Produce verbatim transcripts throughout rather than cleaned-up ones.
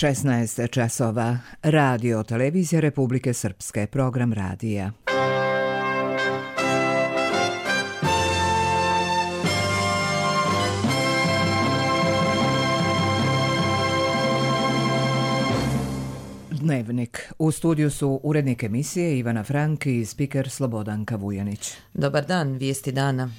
šesnaest časova. Radio Televizija Republike Srpske. Program radija. Dnevnik. U studiju su urednik emisije Ivana Frank i spiker Slobodanka Vujanić. Dobar dan, vijesti dana.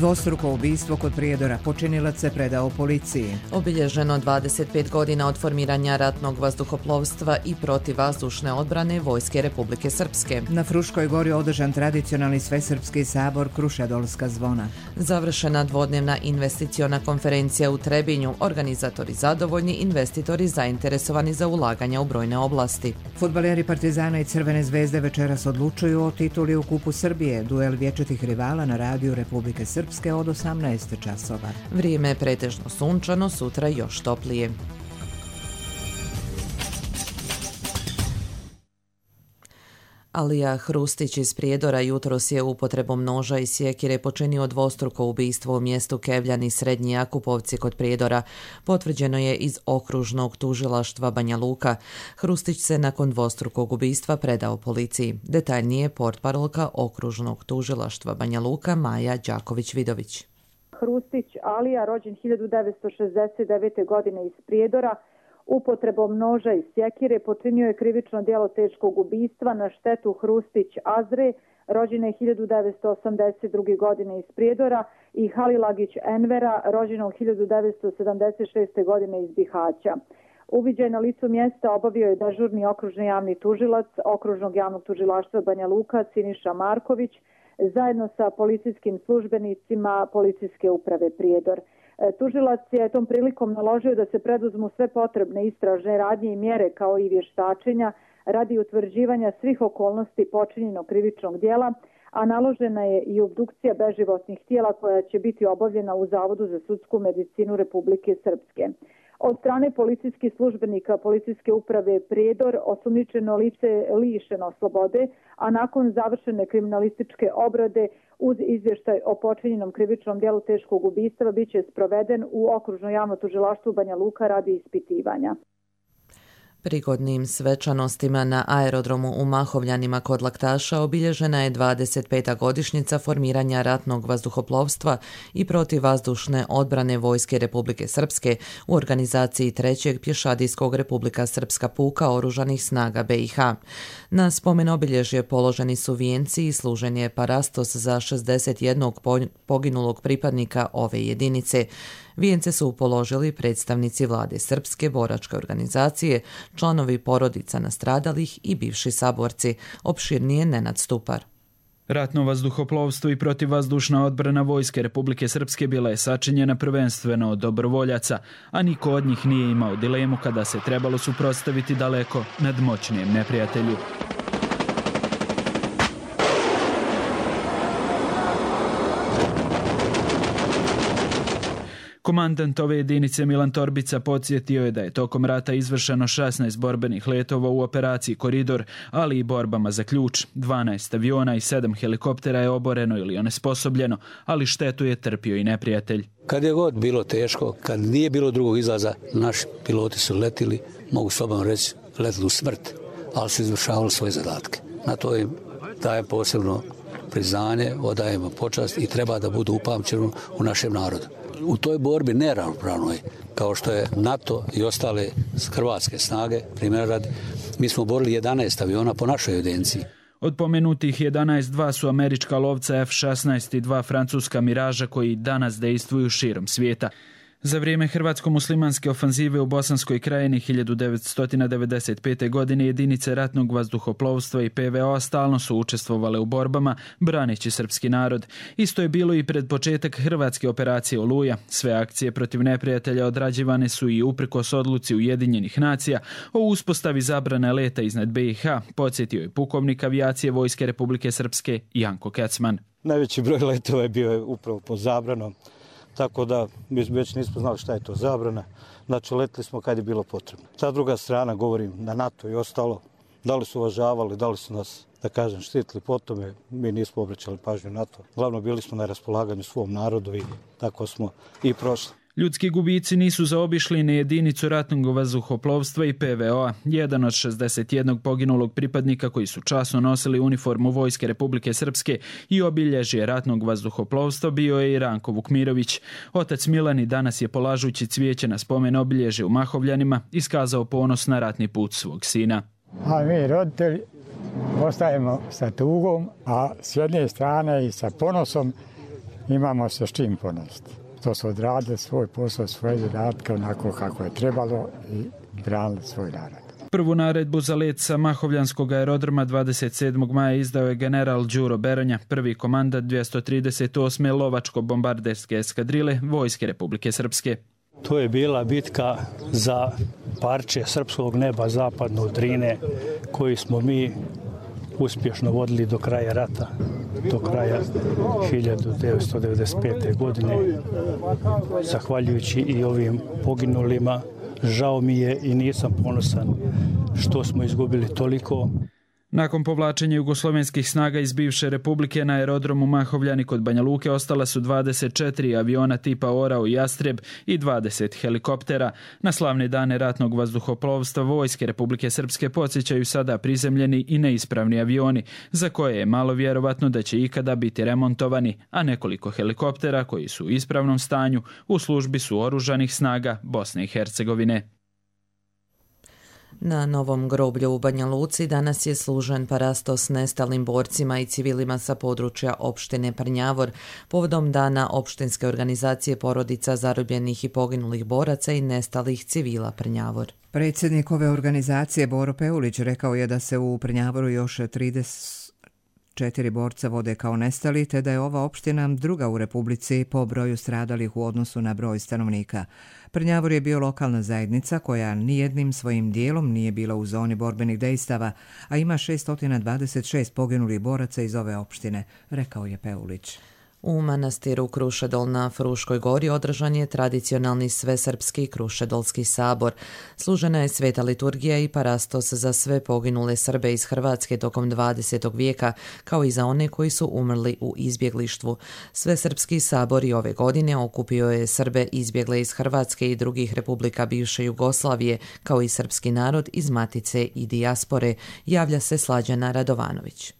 Dvostruko ubistvo kod Prijedora, počinilac se predao policiji. Obilježeno dvadeset pet godina od formiranja ratnog vazduhoplovstva i protivvazdušne odbrane Vojske Republike Srpske. Na Fruškoj gori održan tradicionalni svesrpski sabor Krušedolska zvona. Završena dvodnevna investiciona konferencija u Trebinju, organizatori zadovoljni, investitori zainteresovani za ulaganja u brojne oblasti. Fudbaleri Partizana i Crvene zvezde večeras odlučuju o tituli u Kupu Srbije, duel vječitih rivala na radiju Republike Srpske od osamnaest časova. Vrijeme je pretežno sunčano, sutra još toplije. Alija Hrustić iz Prijedora jutros je upotrebom noža i sjekire počinio dvostruko ubistvo u mjestu Kevljani Srednji Jakupovci kod Prijedora. Potvrđeno je iz okružnog tužilaštva Banja Luka. Hrustić se nakon dvostrukog ubistva predao policiji. Detaljnije portparolka okružnog tužilaštva Banja Luka Maja Đaković-Vidović. Hrustić Alija, rođen hiljadu devetsto šezdeset devete. godine iz Prijedora, upotrebom noža i sjekire počinio je krivično djelo teškog ubistva na štetu Hrustić Azre, rođene hiljadu devetsto osamdeset druge. godine iz Prijedora, i Halilagić Envera, rođenog hiljadu devetsto sedamdeset šeste. godine iz Bihaća. Uviđaj na licu mjesta obavio je dežurni okružni javni tužilac okružnog javnog tužilaštva Banja Luka Siniša Marković zajedno sa policijskim službenicima Policijske uprave Prijedor. Tužilac je tom prilikom naložio da se preduzmu sve potrebne istražne radnje i mjere kao i vještačenja radi utvrđivanja svih okolnosti počinjenog krivičnog djela, a naložena je i obdukcija beživotnih tijela koja će biti obavljena u Zavodu za sudsku medicinu Republike Srpske. Od strane policijskih službenika Policijske uprave Prijedor osumnjičeno lice je lišeno slobode, a nakon završene kriminalističke obrade uz izvještaj o počinjenom krivičnom djelu teškog ubistva biće sproveden u okružno javno tužilaštvo Banja Luka radi ispitivanja. Prigodnim svečanostima na aerodromu u Mahovljanima kod Laktaša obilježena je dvadeset peta godišnjica formiranja ratnog vazduhoplovstva i protivvazdušne odbrane Vojske Republike Srpske u organizaciji trećeg pješadijskog Republika Srpska puka oružanih snaga B i H. Na spomen obilježje položeni su vijenci i služen je parastos za šezdeset jednog poginulog pripadnika ove jedinice. Vijence su položili predstavnici vlade Srpske, boračke organizacije, članovi porodica nastradalih i bivši saborci. Opširnije Nenad Stupar. Ratno vazduhoplovstvo i protivvazdušna odbrana Vojske Republike Srpske bila je sačinjena prvenstveno od dobrovoljaca, a niko od njih nije imao dilemu kada se trebalo suprotstaviti daleko nadmoćnijem neprijatelju. Komandant ove jedinice Milan Torbica podsjetio je da je tokom rata izvršeno šesnaest borbenih letova u operaciji Koridor, ali i borbama za ključ. dvanaest aviona i sedam helikoptera je oboreno ili onesposobljeno, ali štetu je trpio i neprijatelj. Kad je god bilo teško, kad nije bilo drugog izlaza, naši piloti su letili, mogu slobodno reći, letili u smrt, ali su izvršavali svoje zadatke. Na to im dajem posebno priznanje, odajemo počast i treba da budu upamćeni u našem narodu. U toj borbi neravnopravnoj, kao što je NATO i ostale hrvatske snage, primjer radi, mi smo borili jedanaest aviona po našoj evidenciji. Od pomenutih jedanaest, dva su američka lovca F šesnaest i dva francuska Miraža koji danas dejstvuju širom svijeta. Za vrijeme hrvatsko-muslimanske ofanzive u Bosanskoj krajini hiljadu devetsto devedeset pete. godine jedinice ratnog vazduhoplovstva i P V O stalno su učestvovale u borbama, braneći srpski narod. Isto je bilo i pred početak hrvatske operacije Oluja. Sve akcije protiv neprijatelja odrađivane su i uprkos odluci Ujedinjenih nacija o uspostavi zabrane leta iznad B i H, podsjetio je pukovnik avijacije Vojske Republike Srpske Janko Kecman. Najveći broj letova je bio upravo po zabranom. Tako da mi već nismo znali šta je to zabrana. Znači, letili smo kad je bilo potrebno. Ta druga strana, govorim na NATO i ostalo, da li su uvažavali, da li su nas da kažem, štitili po tome, mi nismo obraćali pažnju na to. Glavno bili smo na raspolaganju svom narodu i tako smo i prošli. Ljudski gubici nisu zaobišli ni jedinicu ratnog vazduhoplovstva i P V O-a. Jedan od šezdeset jednog poginulog pripadnika koji su časno nosili uniformu Vojske Republike Srpske i obilježje ratnog vazduhoplovstva bio je i Ranko Vukmirović. Otac Milani danas je polažući cvijeće na spomen obilježje u Mahovljanima iskazao ponos na ratni put svog sina. A mi roditelji ostajemo sa tugom, a s jedne strane i sa ponosom imamo se s čim ponositi. To su odradili svoj posao, svoje zadatke onako kako je trebalo i branili svoj narod. Prvu naredbu za let sa Mahovljanskog aerodroma dvadeset sedmog maja izdao je general Đuro Beronja, prvi komandant dvjesto trideset osme lovačko-bombarderske eskadrile Vojske Republike Srpske. To je bila bitka za parče srpskog neba zapadno od Drine, koji smo mi uspješno vodili do kraja rata, do kraja hiljadu devetsto devedeset pete. godine. Zahvaljujući i ovim poginulima, žao mi je i nisam ponosan što smo izgubili toliko. Nakon povlačenja jugoslovenskih snaga iz bivše republike na aerodromu Mahovljani kod Banja Luke ostala su dvadeset četiri aviona tipa Orao i Jastreb i dvadeset helikoptera. Na slavne dane ratnog vazduhoplovstva Vojske Republike Srpske podsjećaju sada prizemljeni i neispravni avioni, za koje je malo vjerovatno da će ikada biti remontovani, a nekoliko helikoptera koji su u ispravnom stanju u službi su oružanih snaga Bosne i Hercegovine. Na Novom groblju u Banja Luci danas je služen parasto s nestalim borcima i civilima sa područja opštine Prnjavor povodom dana opštinske organizacije porodica zarobljenih i poginulih boraca i nestalih civila Prnjavor. Predsjednik ove organizacije Boro Peulić rekao je da se u Prnjavoru još trideset četiri borca vode kao nestali, te da je ova opština druga u Republici po broju stradalih u odnosu na broj stanovnika. Prnjavor je bio lokalna zajednica koja nijednim svojim dijelom nije bila u zoni borbenih dejstava, a ima šessto dvadeset šest poginulih boraca iz ove opštine, rekao je Peulić. U manastiru Krušedol na Fruškoj gori održan je tradicionalni svesrpski Krušedolski sabor. Služena je sveta liturgija i parastos za sve poginule Srbe iz Hrvatske tokom dvadesetog vijeka, kao i za one koji su umrli u izbjeglištvu. Svesrpski sabor i ove godine okupio je Srbe izbjegle iz Hrvatske i drugih republika bivše Jugoslavije, kao i srpski narod iz Matice i dijaspore, javlja se Slađana Radovanović.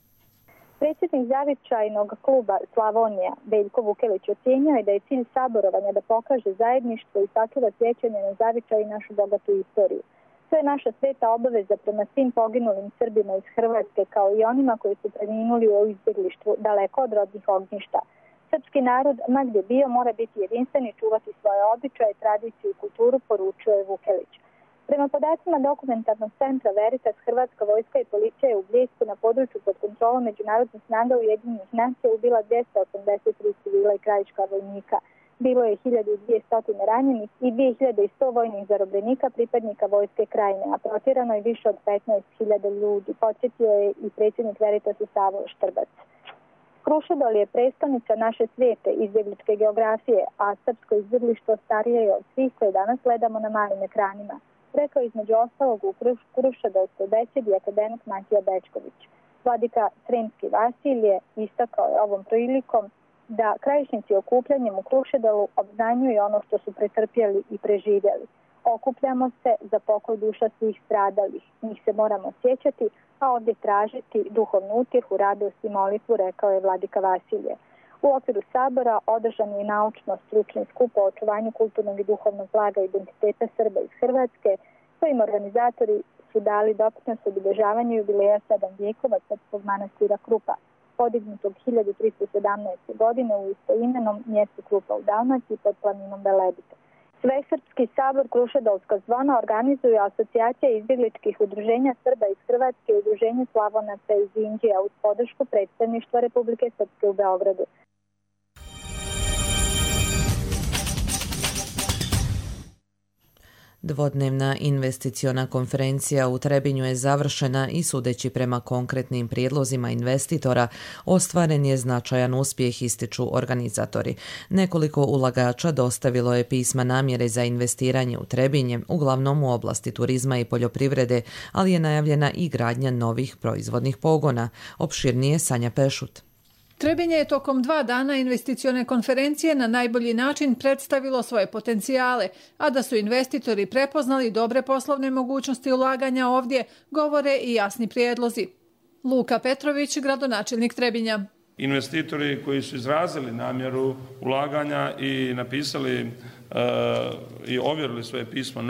Predsjednik zavičajnog kluba Slavonija Veljko Vukelić ocjenjuje je da je cilj saborovanja da pokaže zajedništvo i sačuva sjećanje na zavičaj i našu bogatu istoriju. To je naša sveta obaveza prema svim poginulim Srbima iz Hrvatske, kao i onima koji su preminuli u izbjeglištvu daleko od rodnih ognjišta. Srpski narod, ma gdje bio, mora biti jedinstven i čuvati svoje običaje, tradiciju i kulturu, poručuje Vukelić. Prema podacima dokumentarnog centra Veritas, Hrvatska vojska i policija je u Bljesku na području pod kontrolom međunarodnih snaga Ujedinjenih nacija ubila dvjesto osamdeset tri civila i krajiška vojnika. Bilo je hiljadu dvjesto ranjenih i dvije hiljade sto vojnih zarobljenika pripadnika vojske krajine, a protjerano je više od petnaest hiljada ljudi, podsjetio je i predsjednik Veritasa Savo Štrbac. Krušedol je prestolnica naše svijete izbjegličke geografije, a srpsko izbjeglištvo starije je od svih koje danas gledamo na malim ekranima. Rekao između ostalog u Krušedolskoj besedi akademik Matija Bečković. Vladika Sremski Vasilije istakao je ovom prilikom da krajišnici okupljanjem u Krušedolu obznanjuju ono što su pretrpjeli i preživjeli. Okupljamo se za pokoj duša svih stradalih. Njih se moramo sjećati, a ovdje tražiti duhovnu utjehu, radost i molitvu, rekao je vladika Vasilije. U okviru sabora održan je naučno-stručni skup o očuvanju kulturnog i duhovnog blaga identiteta Srba iz Hrvatske, kojim organizatori su dali doprinos obilježavanju jubileja sedam vijekova srpskog manastira Krupa, podignutog hiljadu tristo sedamnaeste. godine u istoimenom mjestu Krupa u Dalmaciji pod planinom Velebite. Svesrpski sabor Krušedolska zvona organizuju asocijacija izbjegličkih udruženja Srba iz Hrvatske i udruženje Slavonaca iz Indije uz podršku predstavništva Republike Srpske u Beogradu. Dvodnevna investiciona konferencija u Trebinju je završena i sudeći prema konkretnim prijedlozima investitora, ostvaren je značajan uspjeh, ističu organizatori. Nekoliko ulagača dostavilo je pisma namjere za investiranje u Trebinje, uglavnom u oblasti turizma i poljoprivrede, ali je najavljena i gradnja novih proizvodnih pogona. Opširnije Sanja Pešut. Trebinje je tokom dva dana investicione konferencije na najbolji način predstavilo svoje potencijale, a da su investitori prepoznali dobre poslovne mogućnosti ulaganja ovdje, govore i jasni prijedlozi. Luka Petrović, gradonačelnik Trebinja. Investitori koji su izrazili namjeru ulaganja i napisali e, i ovjerili svoje pismo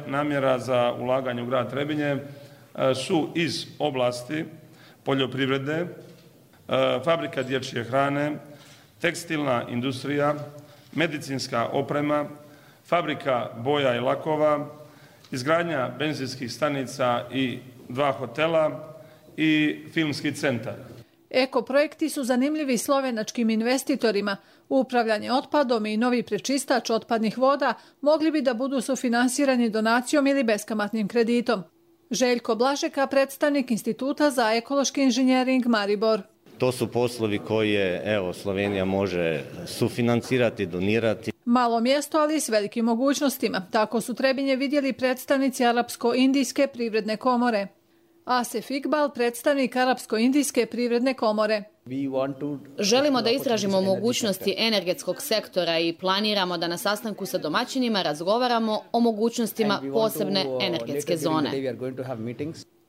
namjera za ulaganje u grad Trebinje e, su iz oblasti poljoprivrede, fabrika dječje hrane, tekstilna industrija, medicinska oprema, fabrika boja i lakova, izgradnja benzinskih stanica i dva hotela i filmski centar. Eko projekti su zanimljivi slovenačkim investitorima. Upravljanje otpadom i novi prečistač otpadnih voda mogli bi da budu sufinansirani donacijom ili beskamatnim kreditom. Željko Blažeka, predstavnik Instituta za ekološki inženjering Maribor. To su poslovi koje evo, Slovenija može sufinancirati, donirati. Malo mjesto, ali s velikim mogućnostima. Tako su Trebinje vidjeli predstavnici Arapsko-Indijske privredne komore. Asef Iqbal, predstavnik Arapsko-Indijske privredne komore. Želimo da istražimo mogućnosti energetskog sektora i planiramo da na sastanku sa domaćinima razgovaramo o mogućnostima posebne energetske zone.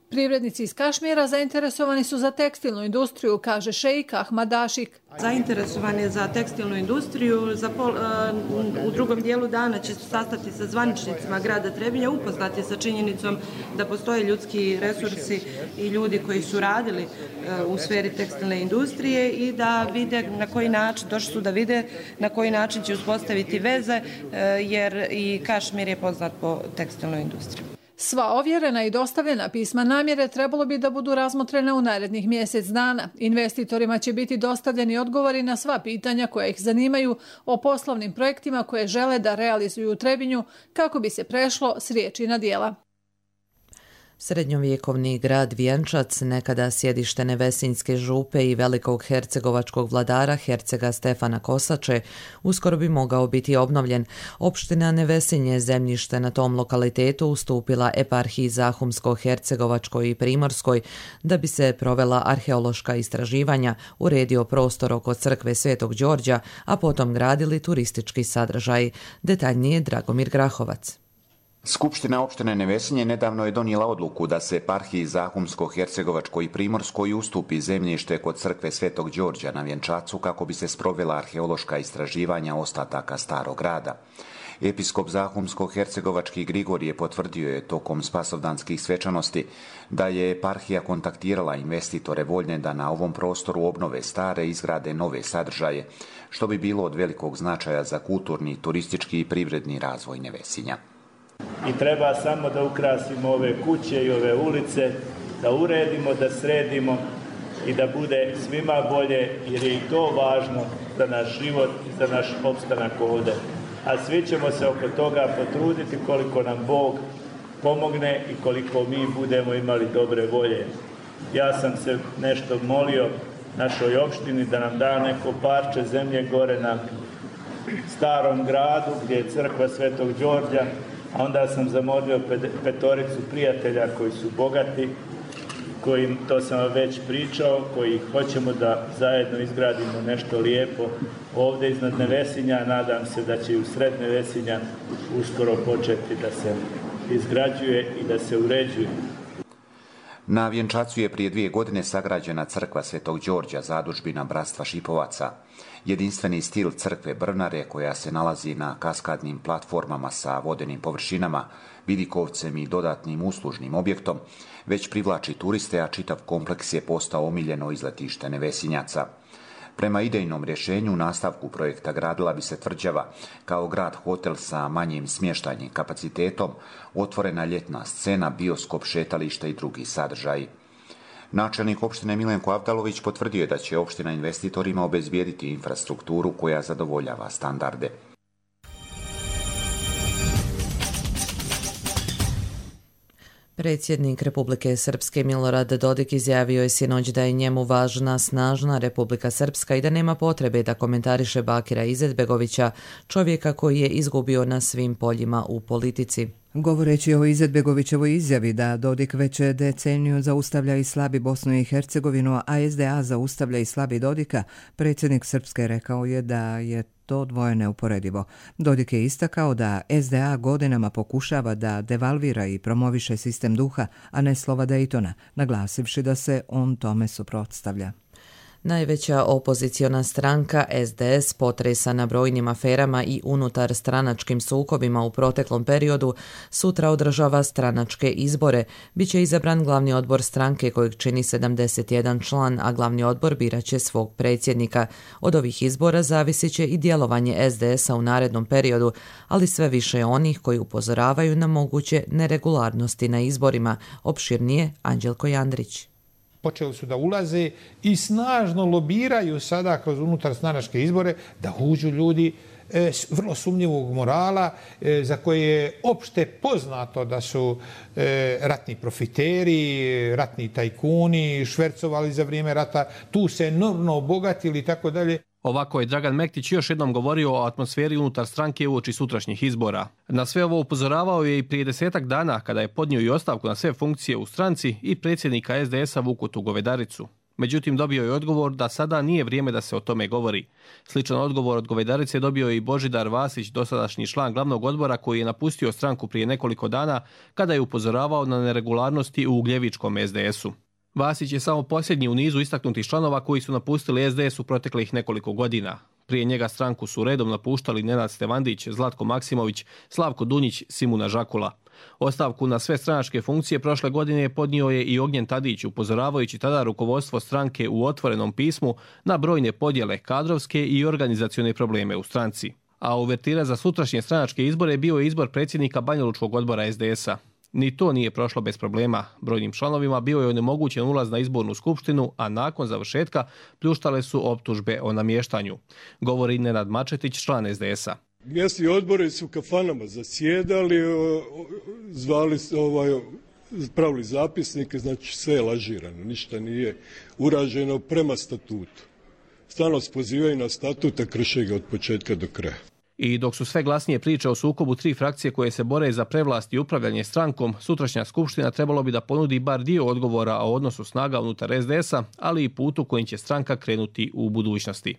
Privrednici iz Kašmira zainteresovani su za tekstilnu industriju, kaže šeik Ahmad Dašik. Zainteresovan je za tekstilnu industriju. Za pol, uh, u drugom dijelu dana će se sastati sa zvaničnicima grada Trebinja, upoznati sa činjenicom da postoje ljudski resursi i ljudi koji su radili uh, u sferi tekstilne industrije i da vide na koji način, došli su da vide na koji način će uspostaviti veze, uh, jer i Kašmir je poznat po tekstilnoj industriji. Sva ovjerena i dostavljena pisma namjere trebalo bi da budu razmotrena u narednih mjesec dana. Investitorima će biti dostavljeni odgovori na sva pitanja koja ih zanimaju o poslovnim projektima koje žele da realizuju u Trebinju kako bi se prešlo s riječi na djela. Srednjovjekovni grad Vjenčac, nekada sjedište Nevesinjske župe i velikog hercegovačkog vladara Hercega Stefana Kosače, uskoro bi mogao biti obnovljen. Opština Nevesinje, zemljište na tom lokalitetu, ustupila eparhiji Zahumsko-hercegovačkoj i Primorskoj da bi se provela arheološka istraživanja, uredio prostor oko crkve Svetog Đorđa, a potom gradili turistički sadržaj. Detaljnije Dragomir Grahovac. Skupština opštine Nevesinje nedavno je donijela odluku da se eparhiji Zahumsko-hercegovačkoj i Primorskoj ustupi zemljište kod crkve Svetog Đorđa na Vjenčacu kako bi se sprovela arheološka istraživanja ostataka starog grada. Episkop Zahumsko-hercegovački Grigorije potvrdio je tokom spasovdanskih svečanosti da je eparhija kontaktirala investitore voljne da na ovom prostoru obnove stare i izgrade nove sadržaje, što bi bilo od velikog značaja za kulturni, turistički i privredni razvoj Nevesinja. I treba samo da ukrasimo ove kuće i ove ulice, da uredimo, da sredimo i da bude svima bolje, jer je i to važno za naš život i za naš opstanak ovdje. A svi ćemo se oko toga potruditi koliko nam Bog pomogne i koliko mi budemo imali dobre volje. Ja sam se nešto molio našoj opštini da nam da neko parče zemlje gore na starom gradu gdje je crkva Svetog Đorđa, a onda sam zamolio petoricu prijatelja koji su bogati, koji, to sam vam već pričao, koji hoćemo da zajedno izgradimo nešto lijepo ovdje iznad Nevesinja. Nadam se da će i u sred Nevesinja uskoro početi da se izgrađuje i da se uređuje. Na Vjenčacu je prije dvije godine sagrađena crkva Svetog Đorđa, zadužbina Bratstva Šipovaca. Jedinstveni stil crkve Brnare, koja se nalazi na kaskadnim platformama sa vodenim površinama, vidikovcem i dodatnim uslužnim objektom, već privlači turiste, a čitav kompleks je postao omiljeno izletište Nevesinjaca. Prema idejnom rješenju, u nastavku projekta gradila bi se tvrđava kao grad hotel sa manjim smještajnim kapacitetom, otvorena ljetna scena, bioskop, šetalište i drugi sadržaji. Načelnik opštine Milenko Avdalović potvrdio je da će opština investitorima obezbijediti infrastrukturu koja zadovoljava standarde. Predsjednik Republike Srpske Milorad Dodik izjavio je sinoć da je njemu važna snažna Republika Srpska i da nema potrebe da komentariše Bakira Izetbegovića, čovjeka koji je izgubio na svim poljima u politici. Govoreći o Izetbegovićevoj izjavi da Dodik već deceniju zaustavlja i slabi Bosnu i Hercegovinu, a es de a zaustavlja i slabi Dodika, predsjednik Srpske rekao je da je to dvoje neuporedivo. Dodik je istakao da es de a godinama pokušava da devalvira i promoviše sistem duha, a ne slova Daytona, naglasivši da se on tome suprotstavlja. Najveća opoziciona stranka es de es, potresana brojnim aferama i unutar stranačkim sukobima u proteklom periodu, sutra održava stranačke izbore. Biće izabran glavni odbor stranke kojeg čini sedamdeset jedan član, a glavni odbor biraće svog predsjednika. Od ovih izbora zavisit će i djelovanje es de es-a u narednom periodu, ali sve više je onih koji upozoravaju na moguće neregularnosti na izborima. Opširnije Anđelko Jandrić. Počeli su da ulaze i snažno lobiraju sada kroz unutarstranačke izbore da uđu ljudi e, vrlo sumnjivog morala e, za koje je opšte poznato da su e, ratni profiteri, ratni tajkuni, švercovali za vrijeme rata, tu se enormno obogatili i tako dalje. Ovako je Dragan Mektić još jednom govorio o atmosferi unutar stranke uoči sutrašnjih izbora. Na sve ovo upozoravao je i prije desetak dana kada je podnio i ostavku na sve funkcije u stranci i predsjednika es de es-a Vukutu Govedaricu. Međutim, dobio je odgovor da sada nije vrijeme da se o tome govori. Sličan odgovor od Govedarice dobio je i Božidar Vasić, dosadašnji član glavnog odbora koji je napustio stranku prije nekoliko dana kada je upozoravao na neregularnosti u Ugljevičkom es de es-u. Vasić je samo posljednji u nizu istaknutih članova koji su napustili es de es u proteklih nekoliko godina. Prije njega stranku su redom napuštali Nenad Stevandić, Zlatko Maksimović, Slavko Dunjić, Simuna Žakula. Ostavku na sve stranačke funkcije prošle godine podnio je i Ognjen Tadić, upozoravajući tada rukovodstvo stranke u otvorenom pismu na brojne podjele, kadrovske i organizacione probleme u stranci. A uvertira za sutrašnje stranačke izbore bio je izbor predsjednika Banjalučkog odbora es de es-a. Ni to nije prošlo bez problema. Brojnim članovima bio je onemogućen ulaz na izbornu skupštinu, a nakon završetka pljuštale su optužbe o namještanju. Govori Nenad Mačetić, član es de es-a. Mjesni odbori su u kafanama zasjedali, zvali, ovaj, pravili zapisnike, znači sve je lažirano, ništa nije urađeno prema statutu. Stalno se pozivaju na statut, a krše ga od početka do kraja. I dok su sve glasnije priče o sukobu tri frakcije koje se bore za prevlast i upravljanje strankom, sutrašnja skupština trebalo bi da ponudi bar dio odgovora o odnosu snaga unutar es de es-a, ali i putu kojim će stranka krenuti u budućnosti.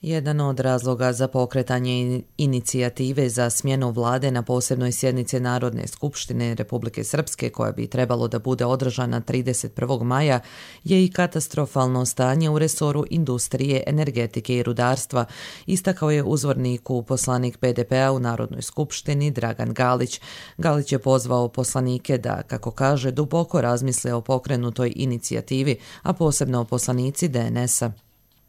Jedan od razloga za pokretanje inicijative za smjenu vlade na posebnoj sjednici Narodne skupštine Republike Srpske, koja bi trebalo da bude održana trideset prvog maja, je i katastrofalno stanje u resoru industrije, energetike i rudarstva, istakao je uzvorniku poslanik pe de pe-a u Narodnoj skupštini Dragan Galić. Galić je pozvao poslanike da, kako kaže, duboko razmisle o pokrenutoj inicijativi, a posebno o poslanici de en es-a.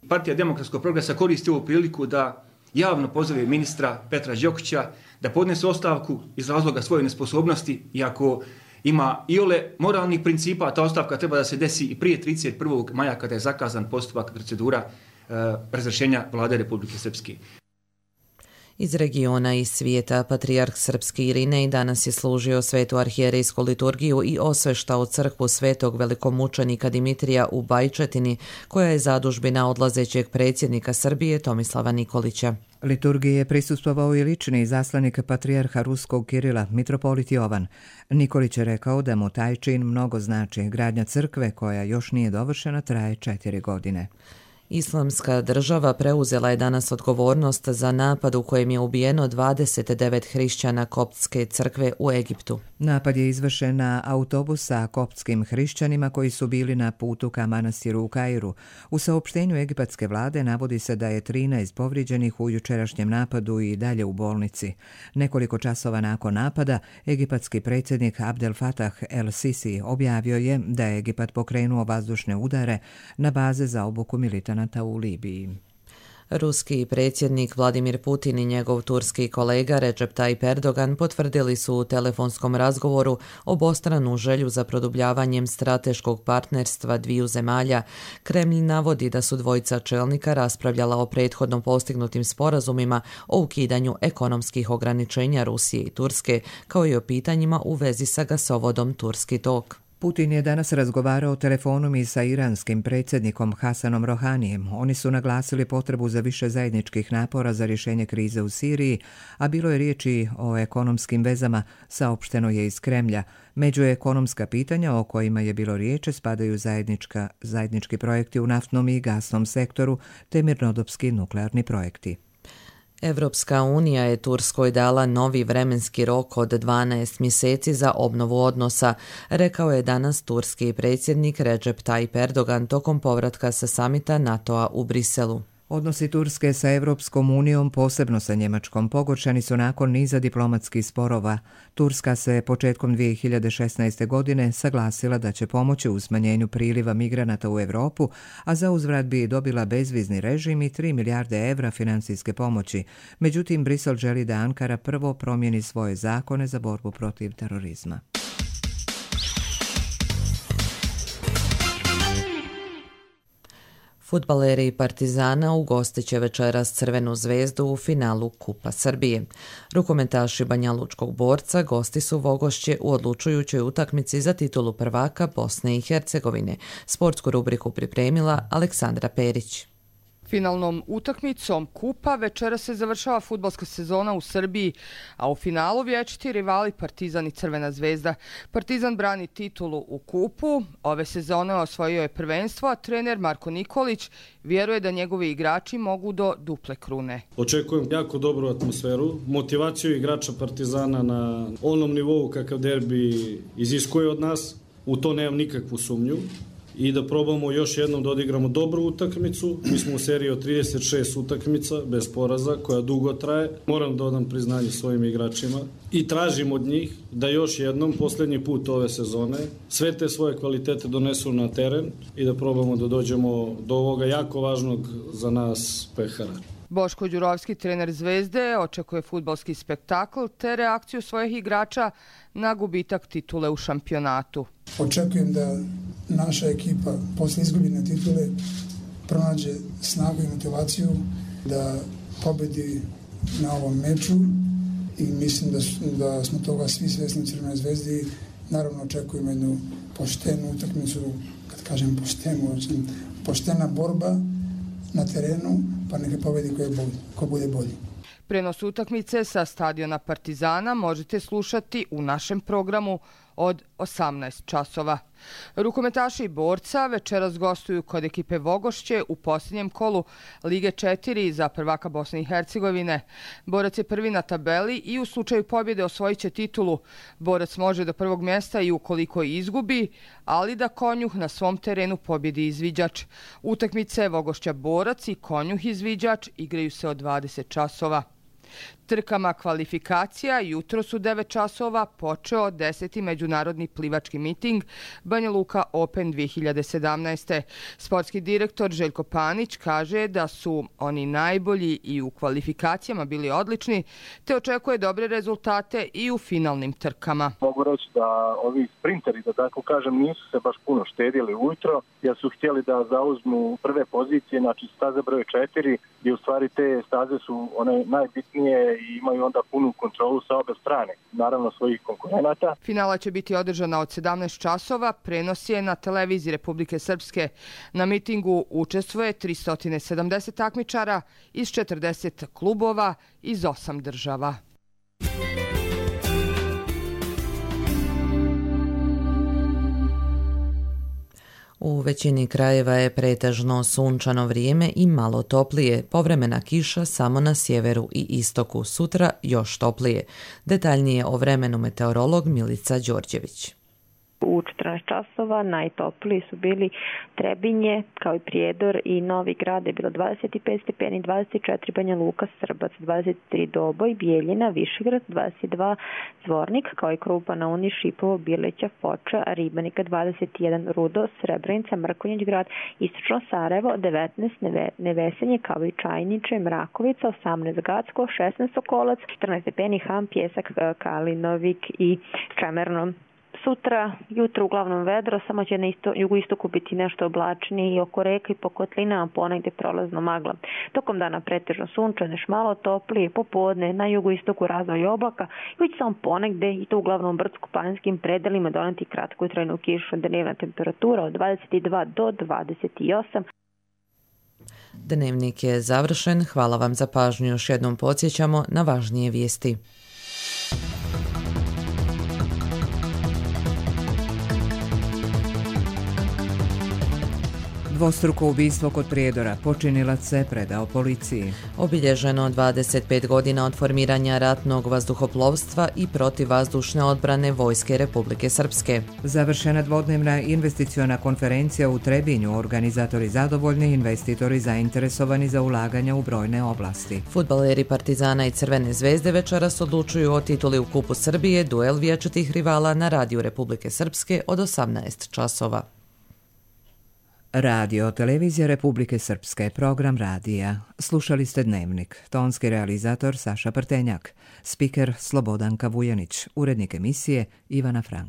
Partija Demokratskog progresa koristi ovu priliku da javno pozove ministra Petra Đokića da podnese ostavku iz razloga svoje nesposobnosti, iako ima iole moralnih principa, ta ostavka treba da se desi i prije trideset prvog maja kada je zakazan postupak procedura e, razrješenja vlade Republike Srpske. Iz regiona i svijeta, patrijarh srpski Irinej danas je služio svetu arhijerejsku liturgiju i osveštao crkvu svetog velikomučenika Dimitrija u Bajčetini, koja je zadužbina odlazećeg predsjednika Srbije Tomislava Nikolića. Liturgiji je prisustvovao i lični izaslanik patrijarha ruskog Kirila, mitropolit Jovan. Nikolić je rekao da mu taj čin mnogo znači. Gradnja crkve, koja još nije dovršena, traje četiri godine. Islamska država preuzela je danas odgovornost za napad u kojem je ubijeno dvadeset devet hrišćana koptske crkve u Egiptu. Napad je izvršen na autobus sa koptskim hrišćanima koji su bili na putu ka manastiru u Kairu. U saopštenju egipatske vlade navodi se da je trinaest povrijeđenih u jučerašnjem napadu i dalje u bolnici. Nekoliko časova nakon napada, egipatski predsjednik Abdel Fattah el-Sisi objavio je da je Egipat pokrenuo vazdušne udare na baze za obuku militanata u Libiji. Ruski predsjednik Vladimir Putin i njegov turski kolega Recep Tayyip Erdogan potvrdili su u telefonskom razgovoru obostranu želju za produbljavanjem strateškog partnerstva dviju zemalja. Kremlj navodi da su dvojica čelnika raspravljala o prethodno postignutim sporazumima o ukidanju ekonomskih ograničenja Rusije i Turske, kao i o pitanjima u vezi sa gasovodom Turski tok. Putin je danas razgovarao telefonom i sa iranskim predsjednikom Hasanom Rohanijem. Oni su naglasili potrebu za više zajedničkih napora za rješenje krize u Siriji, a bilo je riječi o ekonomskim vezama, saopšteno je iz Kremlja. Među ekonomska pitanja o kojima je bilo riječi spadaju zajednička, zajednički projekti u naftnom i gasnom sektoru te mirnodopski nuklearni projekti. Evropska unija je Turskoj dala novi vremenski rok od dvanaest mjeseci za obnovu odnosa, rekao je danas turski predsjednik Recep Tayyip Erdogan tokom povratka sa samita NATO-a u Briselu. Odnosi Turske sa Evropskom unijom, posebno sa Njemačkom, pogoršani su nakon niza diplomatskih sporova. Turska se početkom dvije hiljade šesnaeste. godine saglasila da će pomoći u smanjenju priliva migranata u Europu, a za uzvrat bi dobila bezvizni režim i tri milijarde evra financijske pomoći. Međutim, Brisel želi da Ankara prvo promijeni svoje zakone za borbu protiv terorizma. Fudbaleri Partizana ugostit će večeras Crvenu zvezdu u finalu Kupa Srbije. Rukometaši Banjalučkog Borca gosti su Vogošće u odlučujućoj utakmici za titulu prvaka Bosne i Hercegovine. Sportsku rubriku pripremila Aleksandra Perić. Finalnom utakmicom Kupa večera se završava fudbalska sezona u Srbiji, a u finalu vječiti rivali Partizan i Crvena zvezda. Partizan brani titulu u Kupu, ove sezone osvojio je prvenstvo, a trener Marko Nikolić vjeruje da njegovi igrači mogu do duple krune. Očekujem jako dobru atmosferu, motivaciju igrača Partizana na onom nivou kakav derbi iziskuje od nas, u to nemam nikakvu sumnju. I da probamo još jednom da odigramo dobru utakmicu. Mi smo u seriji od trideset šest utakmica bez poraza, koja dugo traje. Moram da odam priznanje svojim igračima i tražim od njih da još jednom, posljednji put ove sezone, sve te svoje kvalitete donesu na teren i da probamo da dođemo do ovoga jako važnog za nas pehara. Boško Đurovski, trener Zvezde, očekuje fudbalski spektakl te reakciju svojih igrača na gubitak titule u šampionatu. Očekujem da naša ekipa posle izgubljene titule pronađe snagu i motivaciju da pobedi na ovom meču i mislim da, da smo toga svi svjesni u Crvenoj zvezdi. Naravno očekujemo jednu poštenu utakmicu, kad kažem poštenu, poštena borba na terenu, pa neka pobedi ko, je bolji, ko bude bolji. Prenos utakmice sa stadiona Partizana možete slušati u našem programu od osamnaest časova. Rukometaši Borca večeras gostuju kod ekipe Vogošće u posljednjem kolu Lige četiri za prvaka Bosne i Hercegovine. Borac je prvi na tabeli i u slučaju pobjede osvojit će titulu. Borac može do prvog mjesta i ukoliko izgubi, ali da Konjuh na svom terenu pobjedi izviđač. Utakmice Vogošća Borac i Konjuh izviđač igraju se od dvadeset časova. Trkama kvalifikacija jutro su devet časova počeo deseti međunarodni plivački miting Banja Luka Open dvije hiljade sedamnaeste. Sportski direktor Željko Panić kaže da su oni najbolji i u kvalifikacijama bili odlični, te očekuje dobre rezultate i u finalnim trkama. Mogu reći da ovi sprinteri, da tako kažem, nisu se baš puno štedili ujutro, jer su htjeli da zauzmu prve pozicije, znači staza broj četiri, gdje u stvari te staze su one najbitnije i imaju onda punu kontrolu sa obe strane, naravno svojih konkurenata. Finala će biti održana od sedamnaest časova, prenos je na televiziji Republike Srpske. Na mitingu učestvuje tristo sedamdeset takmičara iz četrdeset klubova iz osam država. U većini krajeva je pretežno sunčano vrijeme i malo toplije, povremena kiša samo na sjeveru i istoku, sutra još toplije. Detaljnije o vremenu meteorolog Milica Đorđević. U četrnaest časova najtopliji su bili Trebinje, kao i Prijedor i Novi Grad je bilo dvadeset pet stepeni, dvadeset četiri Banja Luka, Srbac, dvadeset tri Doboj, Bijeljina, Višegrad, dvadeset dva Zvornik, kao i Krupa na Uni, Šipovo, Bileća, Foča, Ribanika, dvadeset jedan Rudo, Srebrenica, Mrkonjić Grad, Istočno Sarajevo, devetnaest Nevesenje, kao i Čajniče, Mrakovica, osamnaest Gacko, šesnaest Sokolac, četrnaest stepeni Ham, Pjesak, Kalinovik i Čemerno. Sutra, jutro uglavnom vedro, samo će na isto, jugoistoku biti nešto oblačnije i oko reka i po kotlinama ponegde prolazno magla. Tokom dana pretežno sunčano, još malo toplije, popodne na jugoistoku razvoj oblaka i već samo ponegde i to uglavnom brdsko-planinskim predelima doneti kratku i trajnu kišu. Dnevna temperatura od dvadeset dva do dvadeset osam. Dnevnik je završen. Hvala vam za pažnju. Još jednom podsjećamo na važnije vijesti. Dvostruko ubistvo kod Prijedora, počinilac se predao policiji. Obilježeno dvadeset pet godina od formiranja ratnog vazduhoplovstva i protivvazdušne odbrane Vojske Republike Srpske. Završena dvodnevna investiciona konferencija u Trebinju, organizatori zadovoljni, investitori zainteresovani za ulaganja u brojne oblasti. Fudbaleri Partizana i Crvene zvezde večeras odlučuju o tituli u Kupu Srbije, duel vječitih rivala na Radiju Republike Srpske od osamnaest časova. Radio Televizija Republike Srpske, program radija. Slušali ste Dnevnik. Tonski realizator Saša Prtenjak. Spiker Slobodanka Vujanić. Urednik emisije Ivana Frank.